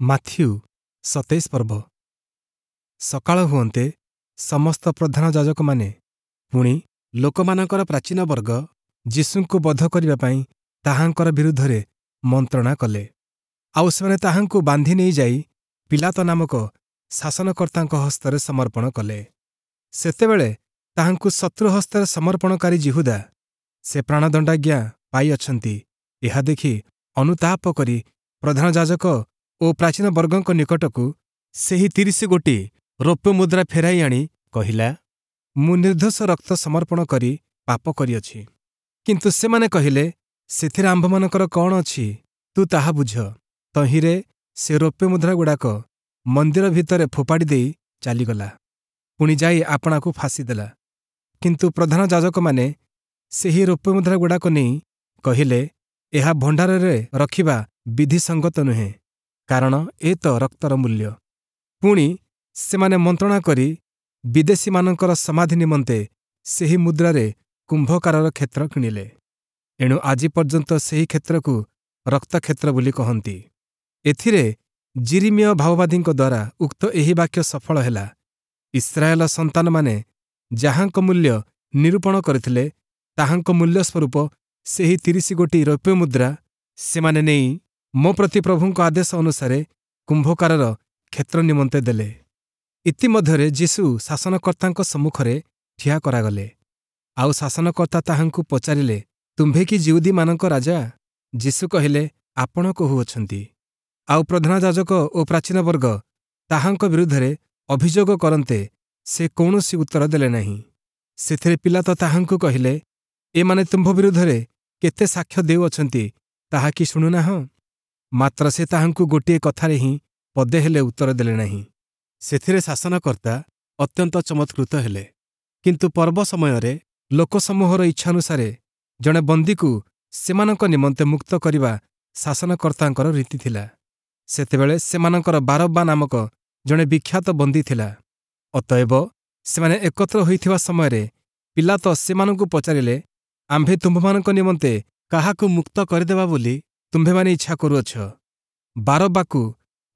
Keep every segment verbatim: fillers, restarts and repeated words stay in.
Matthew ସତେଇଶ ପର୍ବ ସକାଳ ହୁଅନ୍ତେ ସମସ୍ତ ପ୍ରଧାନ ଯାଜକମାନେ ପୁଣି ଲୋକମାନଙ୍କର ପ୍ରାଚୀନ ବର୍ଗ ଯୀଶୁଙ୍କୁ ବଧ କରିବା ପାଇଁ ତାହାଙ୍କର ବିରୁଦ୍ଧରେ ମନ୍ତ୍ରଣା କଲେ। ଆଉ ସେମାନେ ତାହାଙ୍କୁ ବାନ୍ଧି ନେଇଯାଇ ପୀଲାତ ନାମକ ଶାସନକର୍ତ୍ତାଙ୍କ ହସ୍ତରେ ସମର୍ପଣ କଲେ। ସେତେବେଳେ ତାହାଙ୍କୁ ଶତ୍ରୁ ହସ୍ତରେ ସମର୍ପଣକାରୀ ଯିହୁଦା, ସେ ପ୍ରାଣଦଣ୍ଡାଜ୍ଞା ପାଇଅଛନ୍ତି, ଏହା ଦେଖି ଅନୁତାପ କରି ପ୍ରଧାନ ଯାଜକ ଓ ପ୍ରାଚୀନ ବର୍ଗଙ୍କ ନିକଟକୁ ସେହି ତିରିଶ ଗୋଟି ରୌପ୍ୟ ମୁଦ୍ରା ଫେରାଇ ଆଣି କହିଲା, ମୁଁ ନିର୍ଦ୍ଦୋଷ ରକ୍ତ ସମର୍ପଣ କରି ପାପ କରିଅଛି। କିନ୍ତୁ ସେମାନେ କହିଲେ, ସେଥିରେ ଆମ୍ଭମାନଙ୍କର କଣ ଅଛି, ତୁ ତାହା ବୁଝ। ତହିଁରେ ସେ ରୌପ୍ୟ ମୁଦ୍ରାଗୁଡ଼ାକ ମନ୍ଦିର ଭିତରେ ଫୋପାଡ଼ି ଦେଇ ଚାଲିଗଲା, ପୁଣି ଯାଇ ଆପଣାକୁ ଫାଶୀ ଦେଲା। କିନ୍ତୁ ପ୍ରଧାନ ଯାଜକମାନେ ସେହି ରୌପ୍ୟ ମୁଦ୍ରାଗୁଡ଼ାକ ନେଇ କହିଲେ, ଏହା ଭଣ୍ଡାରରେ ରଖିବା ବିଧିସଙ୍ଗତ ନୁହେଁ, କାରଣ ଏ ତ ରକ୍ତର ମୂଲ୍ୟ। ପୁଣି ସେମାନେ ମନ୍ତ୍ରଣା କରି ବିଦେଶୀମାନଙ୍କର ସମାଧି ନିମନ୍ତେ ସେହି ମୁଦ୍ରାରେ କୁମ୍ଭକାରର କ୍ଷେତ୍ର କିଣିଲେ। ଏଣୁ ଆଜି ପର୍ଯ୍ୟନ୍ତ ସେହି କ୍ଷେତ୍ରକୁ ରକ୍ତକ୍ଷେତ୍ର ବୋଲି କହନ୍ତି। ଏଥିରେ ଯିରିମିୟ ଭାବବାଦୀଙ୍କ ଦ୍ୱାରା ଉକ୍ତ ଏହି ବାକ୍ୟ ସଫଳ ହେଲା, ଇସ୍ରାଏଲ ସନ୍ତାନମାନେ ଯାହାଙ୍କ ମୂଲ୍ୟ ନିରୂପଣ କରିଥିଲେ, ତାହାଙ୍କ ମୂଲ୍ୟ ସ୍ୱରୂପ ସେହି ତିରିଶ ଗୋଟି ରୌପ୍ୟ ମୁଦ୍ରା ସେମାନେ ନେଇ ମୋ ପ୍ରତି ପ୍ରଭୁଙ୍କ ଆଦେଶ ଅନୁସାରେ କୁମ୍ଭକାରର କ୍ଷେତ୍ର ନିମନ୍ତେ ଦେଲେ। ଇତିମଧ୍ୟରେ ଯୀଶୁ ଶାସନକର୍ତ୍ତାଙ୍କ ସମ୍ମୁଖରେ ଠିଆ କରାଗଲେ। ଆଉ ଶାସନକର୍ତ୍ତା ତାହାଙ୍କୁ ପଚାରିଲେ, ତୁମ୍ଭେ କି ଯିହୁଦୀମାନଙ୍କ ରାଜା? ଯୀଶୁ କହିଲେ, ଆପଣ କହୁଅଛନ୍ତି। ଆଉ ପ୍ରଧାନ ଯାଜକ ଓ ପ୍ରାଚୀନ ବର୍ଗ ତାହାଙ୍କ ବିରୁଦ୍ଧରେ ଅଭିଯୋଗ କରନ୍ତେ ସେ କୌଣସି ଉତ୍ତର ଦେଲେ ନାହିଁ। ସେଥିରେ ପୀଲାତ ତାହାଙ୍କୁ କହିଲେ, ଏମାନେ ତୁମ୍ଭ ବିରୁଦ୍ଧରେ କେତେ ସାକ୍ଷ୍ୟ ଦେଉଅଛନ୍ତି, ତାହା କି ଶୁଣୁନାହଁ? ମାତ୍ର ସେ ତାହାଙ୍କୁ ଗୋଟିଏ କଥାରେ ହିଁ ପଦେ ହେଲେ ଉତ୍ତର ଦେଲେ ନାହିଁ। ସେଥିରେ ଶାସନକର୍ତ୍ତା ଅତ୍ୟନ୍ତ ଚମତ୍କୃତ ହେଲେ। କିନ୍ତୁ ପର୍ବ ସମୟରେ ଲୋକସମୂହର ଇଚ୍ଛାନୁସାରେ ଜଣେ ବନ୍ଦୀକୁ ସେମାନଙ୍କ ନିମନ୍ତେ ମୁକ୍ତ କରିବା ଶାସନକର୍ତ୍ତାଙ୍କର ରୀତି ଥିଲା। ସେତେବେଳେ ସେମାନଙ୍କର ବାରବ୍ବା ନାମକ ଜଣେ ବିଖ୍ୟାତ ବନ୍ଦୀ ଥିଲା। ଅତଏବ ସେମାନେ ଏକତ୍ର ହୋଇଥିବା ସମୟରେ ପୀଲାତ ସେମାନଙ୍କୁ ପଚାରିଲେ, ଆମ୍ଭେ ତୁମ୍ଭମାନଙ୍କ ନିମନ୍ତେ କାହାକୁ ମୁକ୍ତ କରିଦେବା ବୋଲି ତୁମ୍ଭେମାନେ ଇଚ୍ଛା କରୁଅଛ, ବାରବ୍ବାକୁ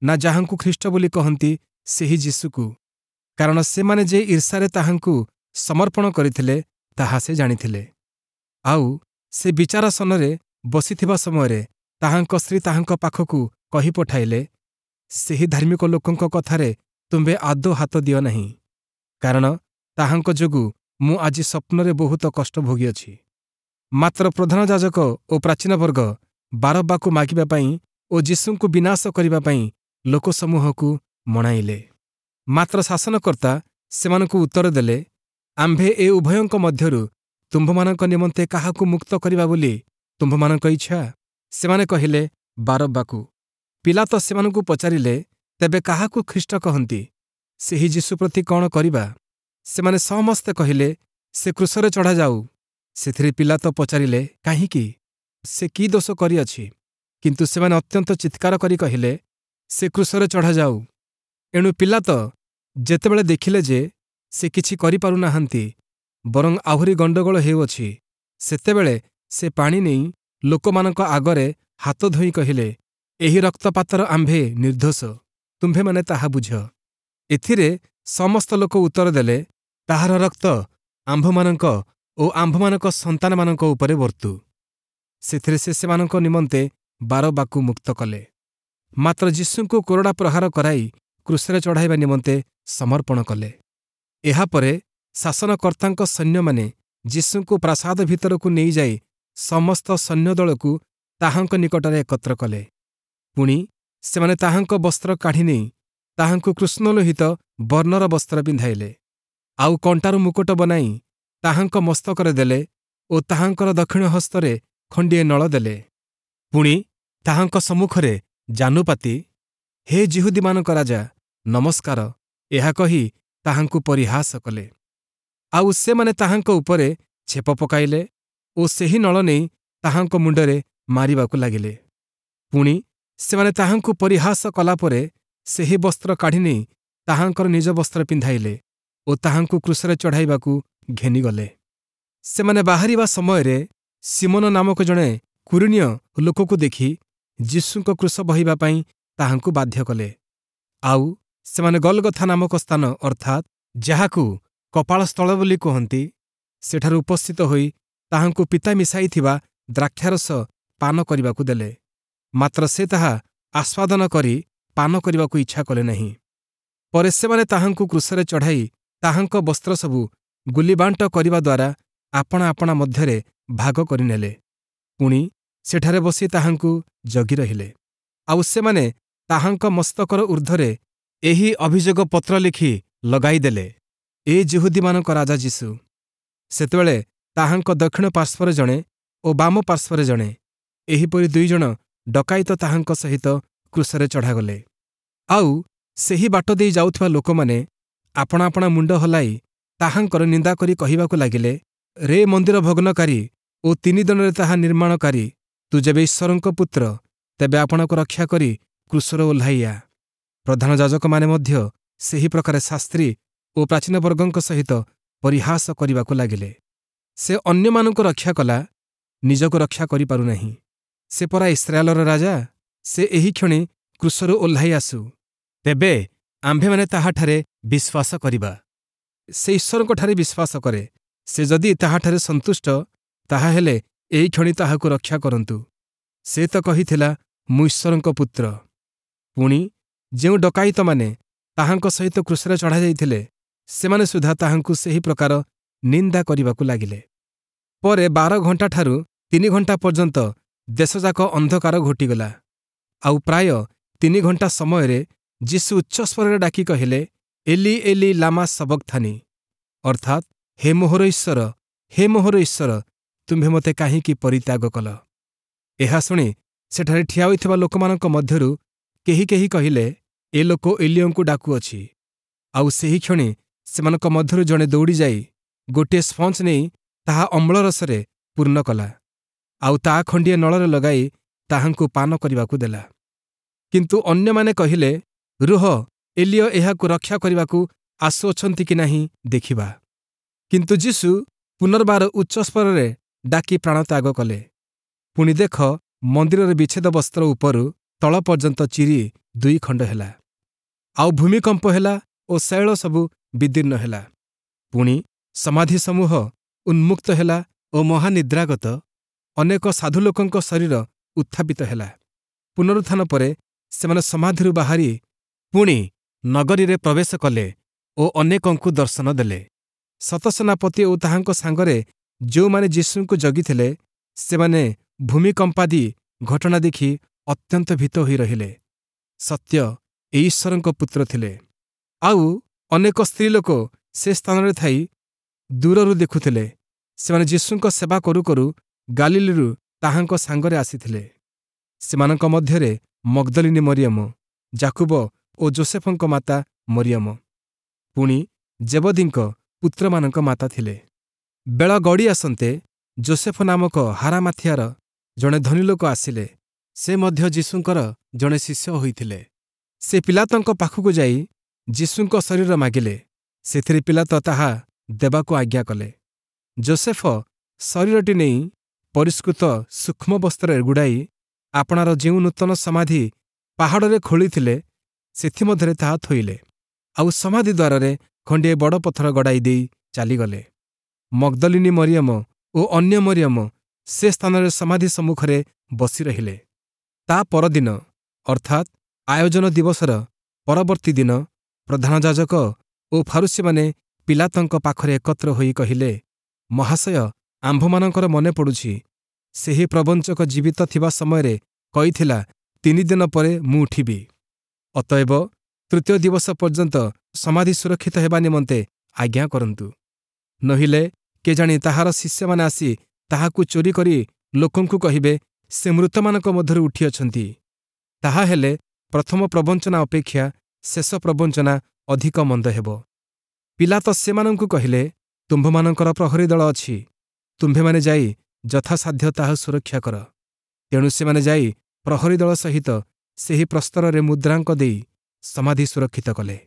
ନା ଯାହାଙ୍କୁ ଖ୍ରୀଷ୍ଟ ବୋଲି କହନ୍ତି ସେହି ଯୀଶୁକୁ? କାରଣ ସେମାନେ ଯେ ଈର୍ଷାରେ ତାହାଙ୍କୁ ସମର୍ପଣ କରିଥିଲେ, ତାହା ସେ ଜାଣିଥିଲେ। ଆଉ ସେ ବିଚାରାସନରେ ବସିଥିବା ସମୟରେ ତାହାଙ୍କ ସ୍ତ୍ରୀ ତାହାଙ୍କ ପାଖକୁ କହି ପଠାଇଲେ, ସେହି ଧାର୍ମିକ ଲୋକଙ୍କ କଥାରେ ତୁମ୍ଭେ ଆଦୌ ହାତ ଦିଅ ନାହିଁ, କାରଣ ତାହାଙ୍କ ଯୋଗୁଁ ମୁଁ ଆଜି ସ୍ୱପ୍ନରେ ବହୁତ କଷ୍ଟ ଭୋଗିଅଛି। ମାତ୍ର ପ୍ରଧାନ ଯାଜକ ଓ ପ୍ରାଚୀନ ବର୍ଗ ବାରବ୍ବାକୁ ମାଗିବା ପାଇଁ ଓ ଯୀଶୁଙ୍କୁ ବିନାଶ କରିବା ପାଇଁ ଲୋକସମୂହକୁ ମଣାଇଲେ। ମାତ୍ର ଶାସନକର୍ତ୍ତା ସେମାନଙ୍କୁ ଉତ୍ତର ଦେଲେ, ଆମ୍ଭେ ଏ ଉଭୟଙ୍କ ମଧ୍ୟରୁ ତୁମ୍ଭମାନଙ୍କ ନିମନ୍ତେ କାହାକୁ ମୁକ୍ତ କରିବା ବୋଲି ତୁମ୍ଭମାନଙ୍କ ଇଚ୍ଛା? ସେମାନେ କହିଲେ, ବାରବ୍ବାକୁ। ପୀଲାତ ସେମାନଙ୍କୁ ପଚାରିଲେ, ତେବେ କାହାକୁ ଖ୍ରୀଷ୍ଟ କହନ୍ତି? ସେହି ଯୀଶୁ ପ୍ରତି କଣ କରିବା? ସେମାନେ ସମସ୍ତେ କହିଲେ, ସେ କ୍ରୁଶରେ ଚଢ଼ାଯାଉ। ସେଥିରେ ପୀଲାତ ପଚାରିଲେ, କାହିଁକି? ସେ କି ଦୋଷ କରିଅଛି? କିନ୍ତୁ ସେମାନେ ଅତ୍ୟନ୍ତ ଚିତ୍କାର କରି କହିଲେ, ସେ କ୍ରୁଶରେ ଚଢ଼ାଯାଉ। ଏଣୁ ପୀଲାତ ଯେତେବେଳେ ଦେଖିଲେ ଯେ ସେ କିଛି କରିପାରୁନାହାନ୍ତି, ବରଂ ଆହୁରି ଗଣ୍ଡଗୋଳ ହେଉଅଛି, ସେତେବେଳେ ସେ ପାଣି ନେଇ ଲୋକମାନଙ୍କ ଆଗରେ ହାତ ଧୋଇ କହିଲେ, ଏହି ରକ୍ତପାତର ଆମ୍ଭେ ନିର୍ଦ୍ଦୋଷ, ତୁମ୍ଭେମାନେ ତାହା ବୁଝ। ଏଥିରେ ସମସ୍ତ ଲୋକ ଉତ୍ତର ଦେଲେ, ତାହାର ରକ୍ତ ଆମ୍ଭମାନଙ୍କ ଓ ଆମ୍ଭମାନଙ୍କ ସନ୍ତାନମାନଙ୍କ ଉପରେ ବର୍ତ୍ତୁ। ସେଥିରେ ସେ ସେମାନଙ୍କ ନିମନ୍ତେ ବାରବ୍ବାକୁ ମୁକ୍ତ କଲେ, ମାତ୍ର ଯୀଶୁଙ୍କୁ କୋରଡ଼ା ପ୍ରହାର କରାଇ କ୍ରୁଶରେ ଚଢ଼ାଇବା ନିମନ୍ତେ ସମର୍ପଣ କଲେ। ଏହାପରେ ଶାସନକର୍ତ୍ତାଙ୍କ ସୈନ୍ୟମାନେ ଯୀଶୁଙ୍କୁ ପ୍ରାସାଦ ଭିତରକୁ ନେଇଯାଇ ସମସ୍ତ ସୈନ୍ୟଦଳକୁ ତାହାଙ୍କ ନିକଟରେ ଏକତ୍ର କଲେ। ପୁଣି ସେମାନେ ତାହାଙ୍କ ବସ୍ତ୍ର କାଢ଼ି ନେଇ ତାହାଙ୍କୁ କୃଷ୍ଣଲୋହିତ ବର୍ଣ୍ଣର ବସ୍ତ୍ର ପିନ୍ଧାଇଲେ। ଆଉ କଣ୍ଟାରୁ ମୁକୁଟ ବନାଇ ତାହାଙ୍କ ମସ୍ତକରେ ଦେଲେ ଓ ତାହାଙ୍କର ଦକ୍ଷିଣ ହସ୍ତରେ ଖଣ୍ଡିଏ ନଳ ଦେଲେ। ପୁଣି ତାହାଙ୍କ ସମ୍ମୁଖରେ ଜାନୁପାତି, ହେ ଯିହୁଦୀମାନଙ୍କ ରାଜା, ନମସ୍କାର, ଏହା କହି ତାହାଙ୍କୁ ପରିହାସ କଲେ। ଆଉ ସେମାନେ ତାହାଙ୍କ ଉପରେ ଛେପ ପକାଇଲେ ଓ ସେହି ନଳ ନେଇ ତାହାଙ୍କ ମୁଣ୍ଡରେ ମାରିବାକୁ ଲାଗିଲେ। ପୁଣି ସେମାନେ ତାହାଙ୍କୁ ପରିହାସ କଲା ପରେ ସେହି ବସ୍ତ୍ର କାଢ଼ି ନେଇ ତାହାଙ୍କର ନିଜ ବସ୍ତ୍ର ପିନ୍ଧାଇଲେ ଓ ତାହାଙ୍କୁ କ୍ରୁଶରେ ଚଢ଼ାଇବାକୁ ଘେନିଗଲେ। ସେମାନେ ବାହାରିବା ସମୟରେ ଶିମୋନ ନାମକ ଜଣେ କୁରୀନୀୟ ଲୋକକୁ ଦେଖି ଯୀଶୁଙ୍କ କ୍ରୁଶ ବହିବା ପାଇଁ ତାହାଙ୍କୁ ବାଧ୍ୟ କଲେ। ଆଉ ସେମାନେ ଗଲଗଥା ନାମକ ସ୍ଥାନ, ଅର୍ଥାତ୍ ଯାହାକୁ କପାଳସ୍ଥଳ ବୋଲି କୁହନ୍ତି, ସେଠାରୁ ଉପସ୍ଥିତ ହୋଇ ତାହାଙ୍କୁ ପିତା ମିଶାଇଥିବା ଦ୍ରାକ୍ଷାରସ ପାନ କରିବାକୁ ଦେଲେ। ମାତ୍ର ସେ ତାହା ଆସ୍ୱାଦନ କରି ପାନ କରିବାକୁ ଇଚ୍ଛା କଲେ ନାହିଁ। ପରେ ସେମାନେ ତାହାଙ୍କୁ କ୍ରୁଶରେ ଚଢ଼ାଇ ତାହାଙ୍କ ବସ୍ତ୍ର ସବୁ ଗୁଲିବାଣ୍ଟ କରିବା ଦ୍ୱାରା ଆପଣା ଆପଣା ମଧ୍ୟରେ ଭାଗ କରିନେଲେ। ପୁଣି ସେଠାରେ ବସି ତାହାଙ୍କୁ ଜଗି ରହିଲେ। ଆଉ ସେମାନେ ତାହାଙ୍କ ମସ୍ତକର ଊର୍ଦ୍ଧ୍ୱରେ ଏହି ଅଭିଯୋଗ ପତ୍ର ଲେଖି ଲଗାଇଦେଲେ, ଏ ଯିହୁଦୀମାନଙ୍କ ରାଜା ଯୀଶୁ। ସେତେବେଳେ ତାହାଙ୍କ ଦକ୍ଷିଣ ପାର୍ଶ୍ୱରେ ଜଣେ ଓ ବାମ ପାର୍ଶ୍ୱରେ ଜଣେ, ଏହିପରି ଦୁଇଜଣ ଡକାୟତ ତାହାଙ୍କ ସହିତ କ୍ରୁଶରେ ଚଢ଼ାଗଲେ। ଆଉ ସେହି ବାଟ ଦେଇ ଯାଉଥିବା ଲୋକମାନେ ଆପଣା ଆପଣା ମୁଣ୍ଡ ହଲାଇ ତାହାଙ୍କର ନିନ୍ଦା କରି କହିବାକୁ ଲାଗିଲେ, ରେ ମନ୍ଦିର ଭଗ୍ନକାରୀ ଓ ତିନି ଦିନରେ ତାହା ନିର୍ମାଣକାରୀ, ତୁ ଯେବେ ଈଶ୍ୱରଙ୍କ ପୁତ୍ର, ତେବେ ଆପଣଙ୍କୁ ରକ୍ଷା କରି କ୍ରୁଶରୁ ଓହ୍ଲାଇ ଆ। ପ୍ରଧାନ ଯାଜକମାନେ ମଧ୍ୟ ସେହି ପ୍ରକାରେ ଶାସ୍ତ୍ରୀ ଓ ପ୍ରାଚୀନବର୍ଗଙ୍କ ସହିତ ପରିହାସ କରିବାକୁ ଲାଗିଲେ। ସେ ଅନ୍ୟମାନଙ୍କୁ ରକ୍ଷା କଲା, ନିଜକୁ ରକ୍ଷା କରିପାରୁନାହିଁ। ସେ ପରା ଇସ୍ରାଏଲର ରାଜା, ସେ ଏହିକ୍ଷଣି କ୍ରୁଶରୁ ଓହ୍ଲାଇ ଆସୁ, ତେବେ ଆମ୍ଭେମାନେ ତାହାଠାରେ ବିଶ୍ୱାସ କରିବା। ସେ ଈଶ୍ୱରଙ୍କଠାରେ ବିଶ୍ୱାସ କରେ, ସେ ଯଦି ତାହାଠାରେ ସନ୍ତୁଷ୍ଟ, ତାହାହେଲେ ଏହିକ୍ଷଣି ତାହାକୁ ରକ୍ଷା କରନ୍ତୁ। ସେ ତ କହିଥିଲା, ମୁଁ ଈଶ୍ୱରଙ୍କ ପୁତ୍ର। ପୁଣି ଯେଉଁ ଡକାୟତମାନେ ତାହାଙ୍କ ସହିତ କ୍ରୁଶରେ ଚଢ଼ାଯାଇଥିଲେ, ସେମାନେ ସୁଦ୍ଧା ତାହାଙ୍କୁ ସେହି ପ୍ରକାର ନିନ୍ଦା କରିବାକୁ ଲାଗିଲେ। ପରେ ବାର ଘଣ୍ଟାଠାରୁ ତିନି ଘଣ୍ଟା ପର୍ଯ୍ୟନ୍ତ ଦେଶଯାକ ଅନ୍ଧକାର ଘୋଟିଗଲା। ଆଉ ପ୍ରାୟ ତିନି ଘଣ୍ଟା ସମୟରେ ଯୀଶୁ ଉଚ୍ଚସ୍ୱରରେ ଡାକି କହିଲେ, ଏଲି ଏଲି ଲାମା ସବକ୍ଥାନି, ଅର୍ଥାତ୍ ହେ ମୋହର ଈଶ୍ୱର, ହେ ମୋହର ଈଶ୍ୱର, ତୁମ୍ଭେ ମୋତେ କାହିଁକି ପରିତ୍ୟାଗ କଲ? ଏହା ଶୁଣି ସେଠାରେ ଠିଆ ହୋଇଥିବା ଲୋକମାନଙ୍କ ମଧ୍ୟରୁ କେହି କେହି କହିଲେ, ଏ ଲୋକ ଏଲିୟଙ୍କୁ ଡାକୁଅଛି। ଆଉ ସେହି କ୍ଷଣି ସେମାନଙ୍କ ମଧ୍ୟରୁ ଜଣେ ଦୌଡ଼ିଯାଇ ଗୋଟିଏ ସ୍ପଞ୍ଜ ନେଇ ତାହା ଅମ୍ଳରସରେ ପୂର୍ଣ୍ଣ କଲା, ଆଉ ତା ଖଣ୍ଡିଏ ନଳରେ ଲଗାଇ ତାହାଙ୍କୁ ପାନ କରିବାକୁ ଦେଲା। କିନ୍ତୁ ଅନ୍ୟମାନେ କହିଲେ, ରୁହ, ଏଲିୟ ଏହାକୁ ରକ୍ଷା କରିବାକୁ ଆସୁଅଛନ୍ତି କି ନାହିଁ ଦେଖିବା। କିନ୍ତୁ ଯୀଶୁ ପୁନର୍ବାର ଉଚ୍ଚସ୍ୱରରେ ଡାକି ପ୍ରାଣତ୍ୟାଗ କଲେ। ପୁଣି ଦେଖ, ମନ୍ଦିରର ବିଚ୍ଛେଦ ବସ୍ତ୍ର ଉପରୁ ତଳ ପର୍ଯ୍ୟନ୍ତ ଚିରି ଦୁଇ ଖଣ୍ଡ ହେଲା। ଆଉ ଭୂମିକମ୍ପ ହେଲା ଓ ଶୈଳ ସବୁ ବିଦୀର୍ଣ୍ଣ ହେଲା। ପୁଣି ସମାଧି ସମୂହ ଉନ୍ମୁକ୍ତ ହେଲା ଓ ମହାନିଦ୍ରାଗତ ଅନେକ ସାଧୁ ଲୋକଙ୍କ ଶରୀର ଉତ୍ଥାପିତ ହେଲା। ପୁନରୁତ୍ଥାନ ପରେ ସେମାନେ ସମାଧିରୁ ବାହାରି ପୁଣି ନଗରୀରେ ପ୍ରବେଶ କଲେ ଓ ଅନେକଙ୍କୁ ଦର୍ଶନ ଦେଲେ। ଶତସେନାପତି ଓ ତାହାଙ୍କ ସାଙ୍ଗରେ ଯେଉଁମାନେ ଯୀଶୁଙ୍କୁ ଜଗିଥିଲେ, ସେମାନେ ଭୂମିକମ୍ପାଦି ଘଟଣା ଦେଖି ଅତ୍ୟନ୍ତ ଭୀତ ହୋଇ ରହିଲେ। ସତ୍ୟ ଏ ଈଶ୍ୱରଙ୍କ ପୁତ୍ର ଥିଲେ। ଆଉ ଅନେକ ସ୍ତ୍ରୀଲୋକ ସେ ସ୍ଥାନରେ ଥାଇ ଦୂରରୁ ଦେଖୁଥିଲେ। ସେମାନେ ଯୀଶୁଙ୍କ ସେବା କରୁ କରୁ ଗାଲିଲିରୁ ତାହାଙ୍କ ସାଙ୍ଗରେ ଆସିଥିଲେ। ସେମାନଙ୍କ ମଧ୍ୟରେ ମଗ୍ଦଲିନୀ ମରିୟମ, ଯାକୁବ ଓ ଜୋସେଫଙ୍କ ମାତା ମରିୟମ, ପୁଣି ଜେବଦୀଙ୍କ ପୁତ୍ରମାନଙ୍କ ମାତା ଥିଲେ। ବେଳ ଗଡ଼ି ଆସନ୍ତେ ଜୋସେଫ ନାମକ ହାରାମାଥିଆର ଜଣେ ଧନୀ ଲୋକ ଆସିଲେ। ସେ ମଧ୍ୟ ଯୀଶୁଙ୍କର ଜଣେ ଶିଷ୍ୟ ହୋଇଥିଲେ। ସେ ପିଲାତଙ୍କ ପାଖକୁ ଯାଇ ଯୀଶୁଙ୍କ ଶରୀର ମାଗିଲେ। ସେଥିରେ ପିଲାତ ତାହା ଦେବାକୁ ଆଜ୍ଞା କଲେ। ଜୋସେଫ ଶରୀରଟି ନେଇ ପରିଷ୍କୃତ ସୂକ୍ଷ୍ମ ବସ୍ତ୍ରରେ ଗୁଡ଼ାଇ ଆପଣାର ଯେଉଁ ନୂତନ ସମାଧି ପାହାଡ଼ରେ ଖୋଳିଥିଲେ, ସେଥିମଧ୍ୟରେ ତାହା ଥୋଇଲେ। ଆଉ ସମାଧି ଦ୍ୱାରରେ ଖଣ୍ଡିଏ ବଡ଼ ପଥର ଗଡ଼ାଇ ଦେଇ ଚାଲିଗଲେ। ମଗ୍ଦଲିନୀ ମରିୟମ ଓ ଅନ୍ୟ ମରିୟମ ସେ ସ୍ଥାନରେ ସମାଧି ସମ୍ମୁଖରେ ବସି ରହିଲେ। ତା ପରଦିନ, ଅର୍ଥାତ୍ ଆୟୋଜନ ଦିବସର ପରବର୍ତ୍ତୀ ଦିନ, ପ୍ରଧାନ ଯାଜକ ଓ ଫାରୁସୀମାନେ ପିଲାତଙ୍କ ପାଖରେ ଏକତ୍ର ହୋଇ କହିଲେ, ମହାଶୟ, ଆମ୍ଭମାନଙ୍କର ମନେ ପଡ଼ୁଛି, ସେହି ପ୍ରବଞ୍ଚକ ଜୀବିତ ଥିବା ସମୟରେ କହିଥିଲା, ତିନି ଦିନ ପରେ ମୁଁ ଉଠିବି। ଅତଏବ ତୃତୀୟ ଦିବସ ପର୍ଯ୍ୟନ୍ତ ସମାଧି ସୁରକ୍ଷିତ ହେବା ନିମନ୍ତେ ଆଜ୍ଞା କରନ୍ତୁ। ନୋହିଲେ କେଜାଣି ତାହାର ଶିଷ୍ୟମାନେ ଆସି ତାହାକୁ ଚୋରି କରି ଲୋକଙ୍କୁ କହିବେ, ସେ ମୃତମାନଙ୍କ ମଧ୍ୟରୁ ଉଠିଅଛନ୍ତି। ତାହାହେଲେ ପ୍ରଥମ ପ୍ରବଞ୍ଚନା ଅପେକ୍ଷା ଶେଷ ପ୍ରବଞ୍ଚନା ଅଧିକ ମନ୍ଦ ହେବ। ପିଲାତ ସେମାନଙ୍କୁ କହିଲେ, ତୁମ୍ଭମାନଙ୍କର ପ୍ରହରୀ ଦଳ ଅଛି, ତୁମ୍ଭେମାନେ ଯାଇ ଯଥାସାଧ୍ୟ ତାହା ସୁରକ୍ଷା କର। ତେଣୁ ସେମାନେ ଯାଇ ପ୍ରହରୀ ଦଳ ସହିତ ସେହି ପ୍ରସ୍ତରରେ ମୁଦ୍ରାଙ୍କ ଦେଇ ସମାଧି ସୁରକ୍ଷିତ କଲେ।